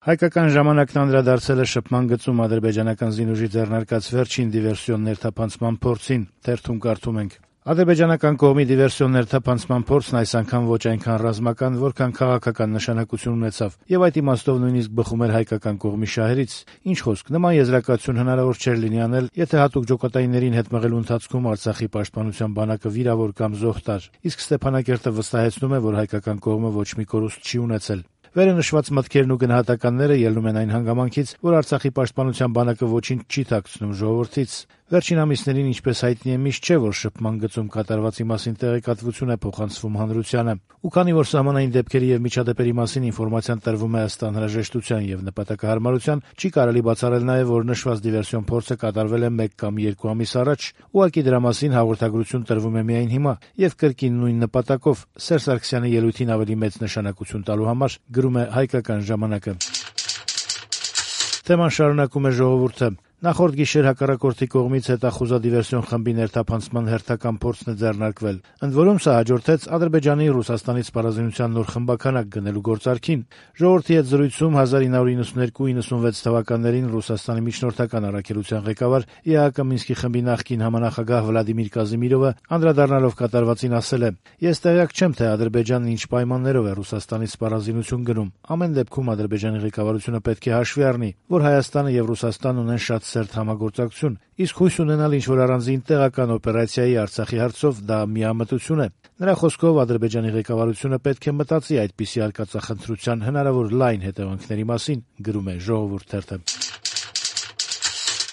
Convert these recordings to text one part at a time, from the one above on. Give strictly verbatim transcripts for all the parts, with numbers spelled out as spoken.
Հայկական ժամանակն անդրադարձել է շփման գծում ադրբեջանական զինուժի ձեռնարկած վերջին դիվերսիոն ներթափանցման փորձին, թերթում կարդում ենք. Ադրբեջանական կողմի դիվերսիոն ներթափանցման փորձն այս անգամ ոչ այնքան ռազմական, որքան քաղաքական նշանակություն ունեցավ, եւ այդ իմաստով նույնիսկ բխում էր հայկական կողմի շահերից։ Ինչ խոսք, նման եզրակացություն հնարավոր չէր լինի անել, եթե հատուկ ջոկատայիններին հետ մղելու ընթացքում Արցախի պաշտպանության բանակը վիրավոր կամ զոհ տար, իսկ Ստեփանակերտը վստահեցնում է, որ հայկական կողմը ոչ մի կորուստ չի ունեցել։ Վերը նշված մտքերն ու գնահատականները ելնում են այն հանգամանքից, որ Արցախի պաշտպանության բանակը ոչինչ չի թաքցնում ժողովրդից։ Վերջին ամիսներին, ինչպես հայտնի է, միշտ չէ, որ շփման գծում կատարվածի մասին տեղեկատվություն է փոխանցվում հանրությանը։ Ու քանի որ սահմանային դեպքերի եւ միջադեպերի մասին ինֆորմացիան տրվում է ըստ անհրաժեշտության եւ նպատակահարմարության, չի կարելի բացառել նաեւ, որ նշված դիվերսիոն փորձը կատարվել է մեկ կամ երկու ամիս առաջ։ Ուղղակի դրա մասին հաղորդագրություն տրվում է միայն հիմա եւ կրկին նույն նպատակով՝ Սերժ Սարգսյանի ելույթին ավելի մեծ նշանակություն տալու համար, գրում է Հայկական ժամանակը։ Թեման շարունակում է Ժողովուրդը։ Նախորդ գիշեր հակառակորդի կողմից հետախուզադիվերսիոն խմբի ներթափանցման հերթական փորձն է ձեռնարկվել։ Ընդ որում սա հաջորդեց Ադրբեջանի Ռուսաստանի սպառազինության նոր խմբականակ գնելու գործարքին։ Ժողովրդի հետ զրույցում հազար ինը հարյուր նվաթ իննսունվեց թվականներին Ռուսաստանի միջնորդական առաքելության ղեկավար ԵԱՀԿ Մինսկի խմբի նախկին համանախագահ Վլադիմիր Կազիմիրովը անդրադառնալով կատարվածին ասել է. «Ես տեղյակ չեմ, թե Ադրբեջանն ինչ պայմաններով է Ռուսաստանից սպառազինություն գնում։ Ամեն դեպքում Ադրբեջանի ղեկավարությունը պետք է հաշվի առնի, որ Հայաստանը եւ Ռուսաստանն ունեն շատ սերտ համագործակցություն, իսկ հույս ունենալ ինչ-որ առանձին տեղական օպերացիայի Արցախի հարցով դա միամտություն է»։ Նրա խոսքով Ադրբեջանի ղեկավարությունը պետք է մտածի այդպիսի արկածախնդրության հնարավոր լայն հետևանքների մասին, գրում է Ժողովուրդ թերթը։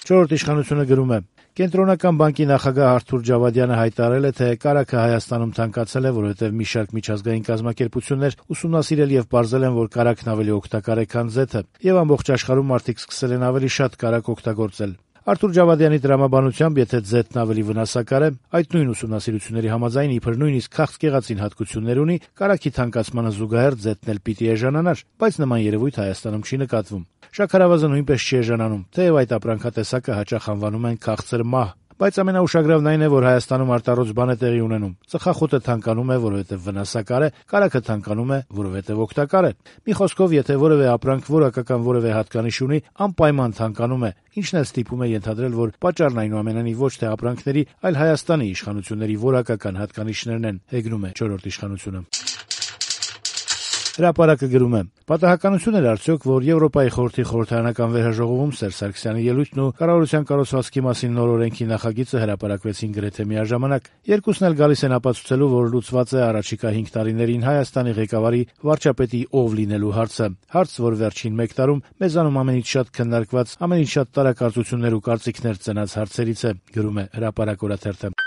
Չորրորդ իշխանությունը գրում է. Կենտրոնական բանկի նախագահ Արթուր Ջավադյանը հայտարարել է, թե կարագը Հայաստանում թանկացել է, որովհետև մի շարք միջազգային կազմակերպություններ ուսումնասիրել եւ պարզել են, որ կարագն ավելի օգտակար է, քան ձեթը, եւ ամբողջ աշխարհում մարդիկ սկսել են ավելի շատ կարագ օգտագործել։ Արթուր Ջավադյանի տրամաբանությամբ, եթե ձեթն ավելի վնասակար է, այդ նույն ուսումնասիրությունների համաձայն իբր նույնիսկ քաղցկեղածին հատկություններ ունի, կարագի թանկացմանը զուգահեռ ձեթն էլ պիտի էժանանար, բայց նման երևույթ Հայաստանում չի նկատվում։ Շաքարավազը նույնպես չի էժանանում, թեև այդ ապրանքատեսակը հաճախ անվանում են քաղցր մահ։ Բայց ամենաուշագրավն այն է, որ Հայաստանում արտառոց բան է տեղի ունենում։ Ծխախոտը թանկանում է, որովհետև վնասակար է, կարագը թանկանում է, որովհետև օգտակար է։ Մի խոսքով, եթե որևէ ապրանք որակական որևէ հատկանիշ ունի, անպայման թանկանում է, ինչն էլ ստիպում է ենթադրել, որ պատճառն այնուամենայնիվ ոչ թե ապրանքների, այլ Հայաստանի իշխանությունների որակական հատկանիշներն են, հեգնում է չորրորդ իշխանությունը։ Հրապարակը գրում է. Պատահականություն էր արդյոք, որ Եվրոպայի խորհրդի խորհրդարանական վերհաջողովում Սերժ Սարգսյանի ելույթն ու կառավարության կառուցվածքի մասին նոր օրենքի նախագիծը հրապարակվեցին գրեթե միաժամանակ։ Երկուսն էլ գալիս են ապացուցելու, որ լուծված է առաջիկա հինգ տարիներին Հայաստանի ղեկավարի վարչապետի ով լինելու հարցը։ Հարց, որ վերջին մեկ տարում մեզանում ամենից շատ քննարկված, ամենից շատ տարակարծություններ ու կարծիքներ ծնած հարցերից է, գրում է Հրապարակ օրաթերթը։